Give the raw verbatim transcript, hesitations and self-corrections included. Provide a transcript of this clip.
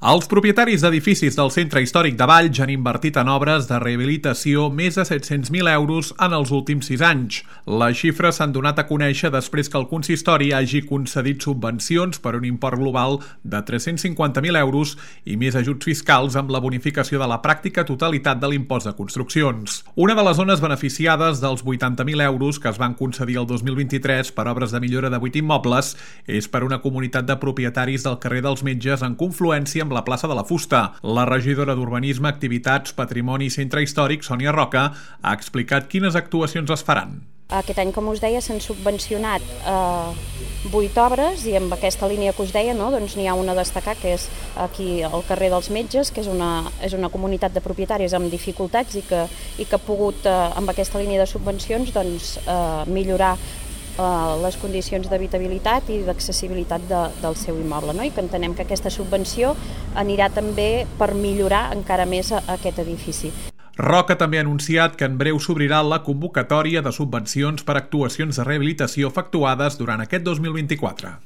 Els propietaris d'edificis del Centre Històric de Valls han invertit en obres de rehabilitació més de set-cents mil euros en els últims sis anys. Les xifres s'han donat a conèixer després que el consistori hagi concedit subvencions per un import global de tres-cents cinquanta mil euros i més ajuts fiscals amb la bonificació de la pràctica totalitat de l'impost de construccions. Una de les zones beneficiades dels vuitanta mil euros que es van concedir el dos mil vint-i-tres per obres de millora de vuit immobles és per una comunitat de propietaris del carrer dels Metges en confluència amb la plaça de la Fusta. La regidora d'Urbanisme, Activitats, Patrimoni i Centre Històric, Sònia Roca, ha explicat quines actuacions es faran. Aquest any, com us deia, s'han subvencionat eh, vuit obres i amb aquesta línia que us deia, no, doncs n'hi ha una a destacar, que és aquí al carrer dels Metges, que és una, és una comunitat de propietaris amb dificultats i que, i que ha pogut, eh, amb aquesta línia de subvencions, doncs, eh, millorar les condicions d'habitabilitat i d'accessibilitat de, del seu immoble, no? I que entenem que aquesta subvenció anirà també per millorar encara més aquest edifici. Roca també ha anunciat que en breu s'obrirà la convocatòria de subvencions per actuacions de rehabilitació efectuades durant aquest dos mil vint-i-quatre.